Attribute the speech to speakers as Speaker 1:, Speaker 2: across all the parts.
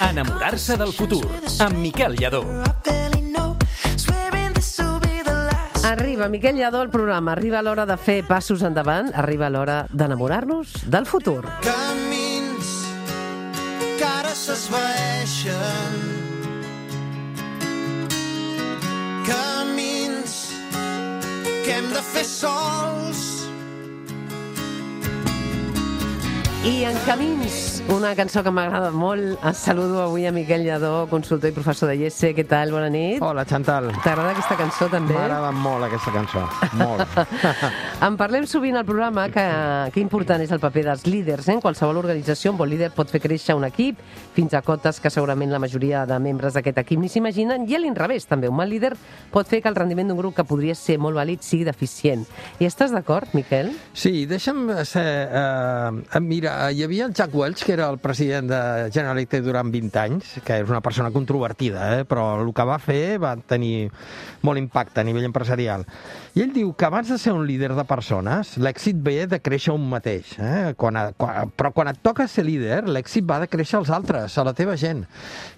Speaker 1: Enamorar-se del futur, amb Miquel Lladó.
Speaker 2: Arriba Miquel Lladó al programa, arriba l'hora de fer passos endavant, arriba l'hora d'enamorar-nos del futur.
Speaker 3: Camins que ara s'esvaeixen, camins que hem de fer sols.
Speaker 2: I en Camins, una cançó que m'agrada molt. Saludo avui a Miquel Lladó, consultor i professor de IES. Què tal? Bona nit.
Speaker 4: Hola, Chantal.
Speaker 2: T'agrada aquesta cançó, també?
Speaker 4: M'agrada molt aquesta cançó, molt.
Speaker 2: En parlem sovint al programa que important és el paper dels líders. En qualsevol organització, un bon líder pot fer créixer un equip fins a cotes que segurament la majoria de membres d'aquest equip ni s'imaginen, i a l'inrevés, també. Un mal líder pot fer que el rendiment d'un grup que podria ser molt vàlid sigui deficient. I estàs d'acord, Miquel?
Speaker 4: Sí, deixa'm ser... Mira, hi havia el Jack Welch, que era el president de General Electric durant 20 anys, que és una persona controvertida, però el que va fer va tenir molt impacte a nivell empresarial. I ell diu que abans de ser un líder de persones, l'èxit ve de créixer un mateix. Però quan et toca ser líder, l'èxit va de créixer als altres, a la teva gent.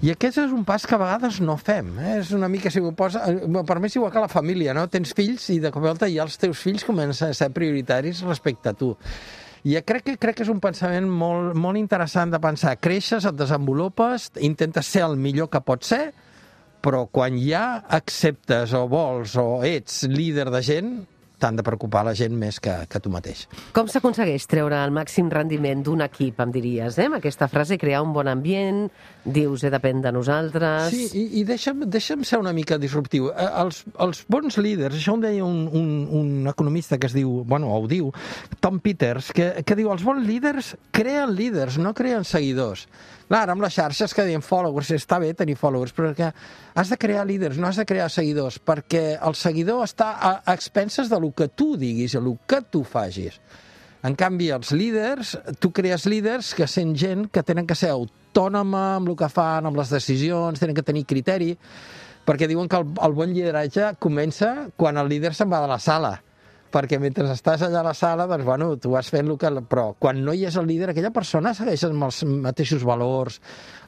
Speaker 4: I aquest és un pas que a vegades no fem. És una mica, si ho posa... Per mi és igual que la família, no? Tens fills i de cop i volta ja els teus fills comencen a ser prioritaris respecte a tu. I crec que és un pensament molt interessant de pensar. Creixes, et desenvolupes, intentes ser el millor que pots ser, però quan ja acceptes o vols o ets líder de gent, t'han de preocupar la gent més que tu mateix.
Speaker 2: Com s'aconsegueix treure el màxim rendiment d'un equip, em diries, amb aquesta frase, crear un bon ambient, dius, depèn de nosaltres...
Speaker 4: Sí, i deixa'm ser una mica disruptiu. Els bons líders, això ho deia un economista que es diu, ho diu, Tom Peters, que diu, els bons líders creen líders, no creen seguidors. Clar, amb les xarxes que diuen followers, està bé tenir followers, però que has de crear líders, no has de crear seguidors, perquè el seguidor està a expenses de lo que tu diguis, de lo que tu facis. En canvi, els líders, tu crees líders que sent gent que tenen que ser autònoma amb el que fan, amb les decisions, tenen que tenir criteri, perquè diuen que el bon lideratge comença quan el líder se'n va de la sala. Perquè mentre estàs allà a la sala, doncs, tu vas fent el que... Però quan no hi és el líder, aquella persona segueix amb els mateixos valors,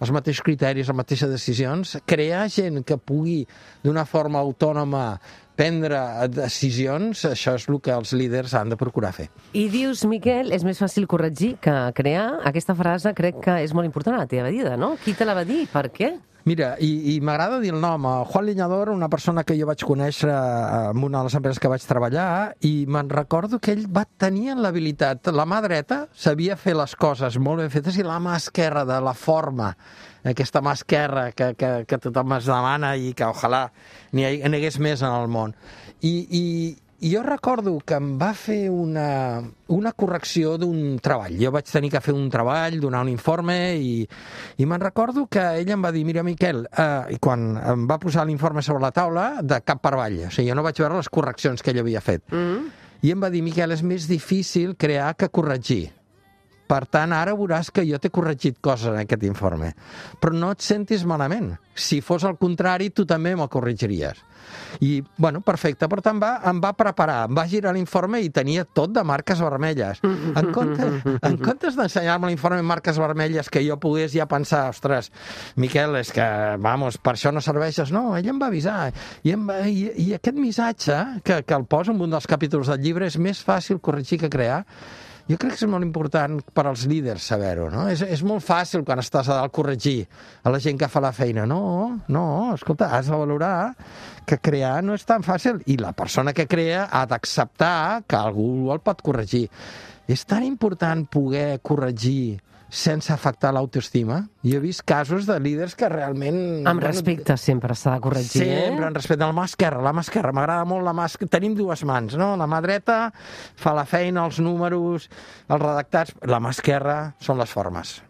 Speaker 4: els mateixos criteris, les mateixes decisions. Crear gent que pugui, d'una forma autònoma, prendre decisions, això és el que els líders han de procurar fer.
Speaker 2: I dius, Miquel, és més fàcil corregir que crear. Aquesta frase crec que és molt important a la teva vida, no? Qui te la va dir? Per què?
Speaker 4: Mira, i m'agrada dir el nom. Juan Leñador, una persona que jo vaig conèixer en una de les empreses que vaig treballar, i me'n recordo que ell va tenir l'habilitat. La mà dreta sabia fer les coses molt ben fetes i la mà esquerra de la forma, aquesta mà esquerra que tothom es demana i que ojalà n'hi hagués més en el món. I jo recordo que em va fer una correcció d'un treball. Jo vaig tenir que fer un treball, donar un informe, i me'n recordo que ell em va dir, mira, Miquel, i quan em va posar l'informe sobre la taula, de cap per avall. O sigui, jo no vaig veure les correccions que ell havia fet. I em va dir, Miquel, és més difícil crear que corregir. Per tant, ara veuràs que jo t'he corregit coses en aquest informe. Però no et sentis malament. Si fos al contrari, tu també me'l corregiries. I, perfecte, per tant em va preparar, em va girar l'informe i tenia tot de marques vermelles. En comptes d'ensenyar-me l'informe amb marques vermelles que jo pogués ja pensar, ostres, Miquel, és que, per això no serveixes. No, ell em va avisar. I aquest missatge, que el posa en un dels capítols del llibre, és més fàcil corregir que crear. Jo crec que és molt important per als líders saber-ho, no? És molt fàcil quan estàs a dalt corregir a la gent que fa la feina. No, escolta, has de valorar que crear no és tan fàcil i la persona que crea ha d'acceptar que algú el pot corregir. És tan important poder corregir sense afectar l'autoestima. Jo he vist casos de líders que realment...
Speaker 2: Amb respecte sempre s'ha de corregir,
Speaker 4: Sempre, amb respecte. La mà esquerra. M'agrada molt la mà esquerra. Tenim dues mans, no? La mà dreta fa la feina, els números, els redactats. La mà esquerra són les formes.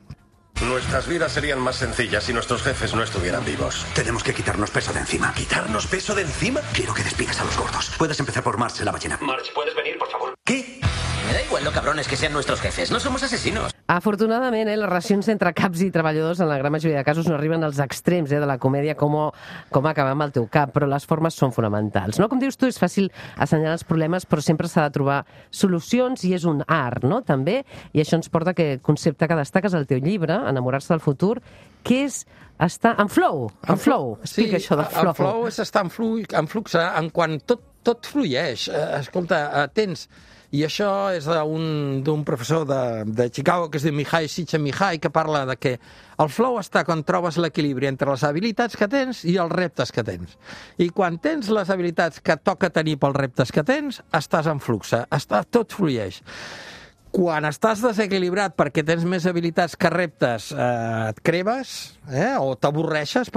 Speaker 5: Nuestras vidas serían más sencillas si nuestros jefes no estuvieran vivos.
Speaker 6: Tenemos que quitarnos peso de encima.
Speaker 5: ¿Quitarnos peso de encima?
Speaker 6: Quiero que despidas a los gordos. Puedes empezar por Marge, la ballena.
Speaker 5: Marge, ¿puedes venir, por favor?
Speaker 6: ¿Qué?
Speaker 7: Me da igual lo cabrones que sean nuestros jefes, no somos asesinos.
Speaker 2: Afortunadament, les relacions entre caps i treballadors en la gran majoria de casos no arriben als extrems de la comèdia com acabar amb el teu cap, però les formes són fonamentals. No? Com dius tu, és fàcil assenyalar els problemes, però sempre s'ha de trobar solucions i és un art, no? També, i això ens porta a aquest concepte que destaques al teu llibre, Enamorar-se del futur, que és estar en flow. En flow. Explica això del flow.
Speaker 4: El flow és estar en flux, en quan tot flueix. Escolta, tens... I això és d'un professor de Chicago que es diu Mihai Csikszentmihalyi, que parla de que el flow està quan trobes l'equilibri entre les habilitats que tens i els reptes que tens. I quan tens les habilitats que toca tenir pels reptes que tens, estàs en flux, tot flueix. Quan estàs desequilibrat perquè tens més habilitats que reptes, et cremes, o t'avorreixes,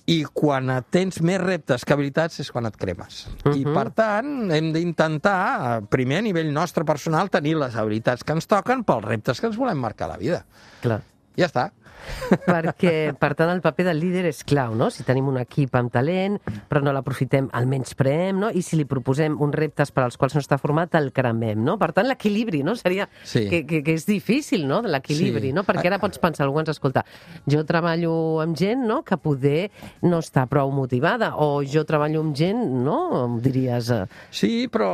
Speaker 4: i quan tens més reptes que habilitats és quan et cremes. I, per tant, hem d'intentar, primer a nivell nostre personal, tenir les habilitats que ens toquen pels reptes que ens volem marcar a la vida.
Speaker 2: Clar.
Speaker 4: Ja està.
Speaker 2: Perquè, per tant, el paper del líder és clau, no? Si tenim un equip amb talent, però no l'aprofitem, el menyspreem, no? I si li proposem uns reptes per als quals no està format, el cremem, no? Per tant, l'equilibri, no? Seria que és difícil, no?, de l'equilibri, no? Perquè ara pots pensar, algú ens escolta, jo treballo amb gent, no?, que poder no està prou motivada, o jo treballo amb gent, no?, diries...
Speaker 4: Sí, però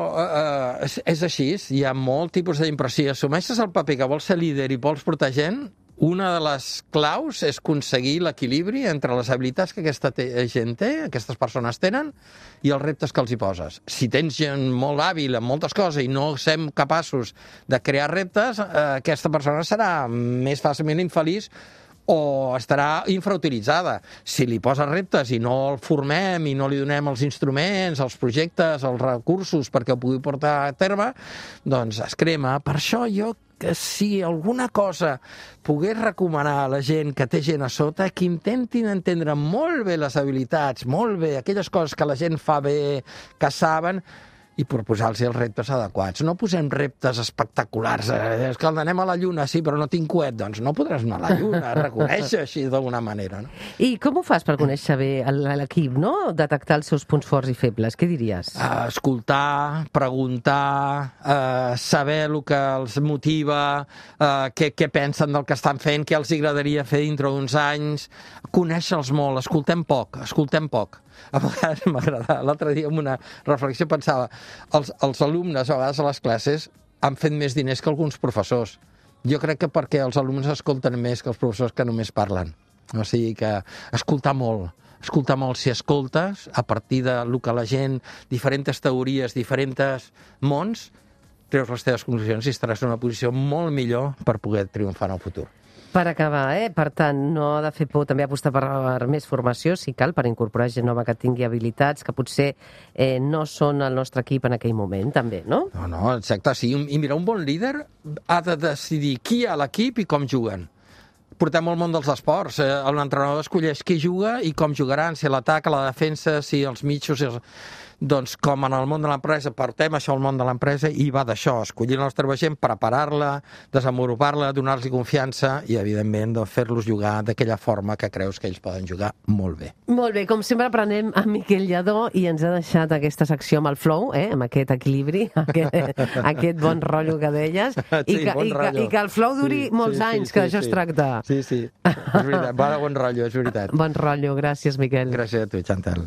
Speaker 4: és així, hi ha molt tipus d'impressió. Si assumeixes el paper que vols ser líder i vols portar gent, una de les claus és aconseguir l'equilibri entre les habilitats que aquesta gent té, aquestes persones tenen, i els reptes que els hi poses. Si tens gent molt hàbil en moltes coses i no som capaços de crear reptes, aquesta persona serà més fàcilment infeliç o estarà infrautilitzada. Si li poses reptes i no el formem i no li donem els instruments, els projectes, els recursos perquè ho pugui portar a terme, doncs es crema. Per això jo que si alguna cosa pogués recomanar a la gent que té gent a sota, que intentin entendre molt bé les habilitats, molt bé aquelles coses que la gent fa bé, que saben, i proposar-los els reptes adequats. No posem reptes espectaculars. És que anem a la Lluna, sí, però no tinc coet. Doncs no podràs anar a la Lluna, reconèixer així d'alguna manera. No?
Speaker 2: I com ho fas per conèixer bé l'equip, no? Detectar els seus punts forts i febles. Què diries?
Speaker 4: Escoltar, preguntar, saber el que els motiva, què pensen del que estan fent, què els agradaria fer dintre d'uns anys, conèixer-los molt, escoltem poc. A vegades m'agrada. L'altre dia en una reflexió pensava, els alumnes a vegades a les classes han fet més diners que alguns professors. Jo crec que perquè els alumnes escolten més que els professors que només parlen. O sigui que escoltar molt, si escoltes, a partir del que la gent, diferents teories, diferents mons, treus les teves conclusions i estaràs en una posició molt millor per poder triomfar en el futur.
Speaker 2: Per acabar, per tant, no ha de fer por també apostar per més formació, si cal, per incorporar gent nova que tingui habilitats que potser no són el nostre equip en aquell moment, també, no?
Speaker 4: No, exacte, sí. I mira, un bon líder ha de decidir qui hi ha a l'equip i com juguen. Portem al món dels esports. L'entrenador escolleix qui juga i com jugaran, si l'atac, la defensa, si els mitjos... Doncs com en el món de l'empresa, portem això al món de l'empresa i va d'això, escollir la nostra gent, preparar-la, desenvolupar-la, donar-los confiança i, evidentment, fer-los jugar d'aquella forma que creus que ells poden jugar molt bé.
Speaker 2: Molt bé, com sempre aprenem a Miquel Lladó i ens ha deixat aquesta secció amb el flow, amb aquest equilibri, aquest bon rotllo que deies, i que el flow duri molts anys, que d'això es tracta.
Speaker 4: Sí, és veritat, bon rotllo, és veritat.
Speaker 2: Bon rotllo, gràcies, Miquel.
Speaker 4: Gràcies a tu, Chantal.